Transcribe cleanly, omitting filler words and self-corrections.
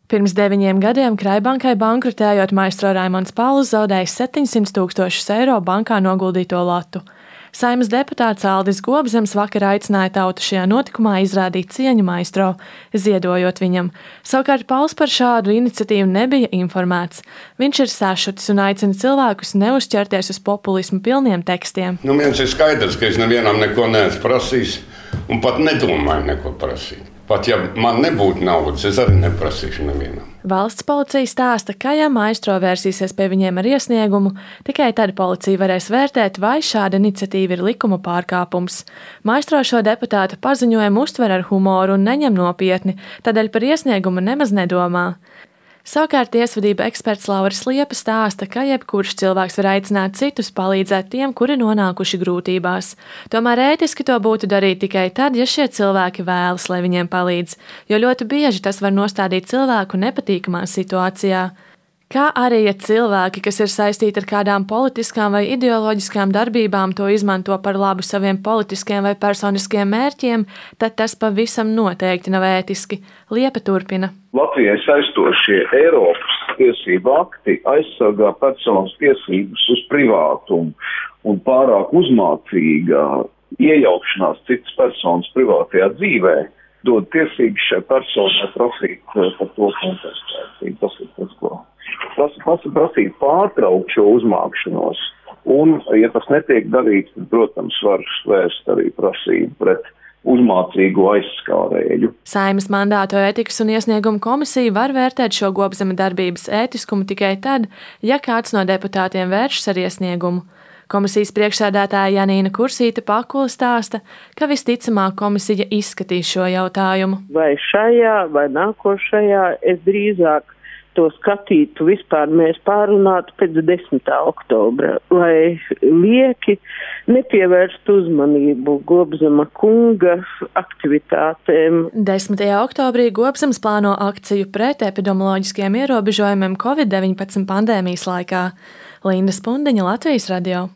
Pirms 9 gadiem Kraibankai bankrotējot, maistro Raimonds Pauls zaudējis 700 000 eiro bankā noguldīto latu. Saeimas deputāts Aldis Gobzems vakar aicināja tautu šajā notikumā izrādīt cieņu maistro, ziedojot viņam. Savukārt Pauls par šādu iniciatīvu nebija informēts. Viņš ir sašutis un aicina cilvēkus neuzķerties uz populismu pilniem tekstiem. Viens ir skaidrs, ka es nevienam neko neesmu prasījis un pat nedomāju neko prasīt. Pat ja man nebūtu naudas, es arī neprasīšu nevienam. Valsts policija stāsta, ka ja maistro vērsīsies pie viņiem ar iesniegumu, tikai tad policija varēs vērtēt, vai šāda iniciatīva ir likuma pārkāpums. Maistro šo deputātu paziņojumu uztver ar humoru un neņem nopietni, tādēļ par iesniegumu nemaz nedomā. Savukārt tiesvedība eksperts Lauris Liepa stāsta, ka jebkurš cilvēks var aicināt citus palīdzēt tiem, kuri nonākuši grūtībās. Tomēr ētiski to būtu darīt tikai tad, ja šie cilvēki vēlas, lai viņiem palīdz, jo ļoti bieži tas var nostādīt cilvēku nepatīkamā situācijā. Kā arī, ja cilvēki, kas ir saistīti ar kādām politiskām vai ideoloģiskām darbībām, to izmanto par labu saviem politiskiem vai personiskiem mērķiem, tad tas pavisam noteikti nav ētiski. Liepa turpina. Latvijai saistošie Eiropas tiesību akti aizsargā personas tiesības uz privātumu un pārāk uzmācīga iejaukšanās citas personas privātajā dzīvē dod tiesības šai personai prasīt par to kompensāciju. Tas ir tas, ko prasīt pārtraukt šo uzmākšanos. Un, ja tas netiek darīts, tad, protams, var vērst arī prasību pret uzmācīgu aizskārēju. Saeimas mandātu ētikas un iesniegumu komisija var vērtēt šo Gobzema darbības ētiskumu tikai tad, ja kāds no deputātiem vēršas ar iesniegumu. Komisijas priekšsēdētāja Janīna Kursīte Pakula stāsta, ka visticamāk komisija izskatīs šo jautājumu. Vai šajā vai nākošajā es drīzāk to skatītu, vispār mēs pārunātu pēc 10. oktobra, lai lieki nepievērst uzmanību Gobzema kunga aktivitātēm. 10. oktobrī Gobzems plāno akciju pret epidemioloģiskiem ierobežojumiem COVID-19 pandēmijas laikā. Linda Spundiņa, Latvijas radio.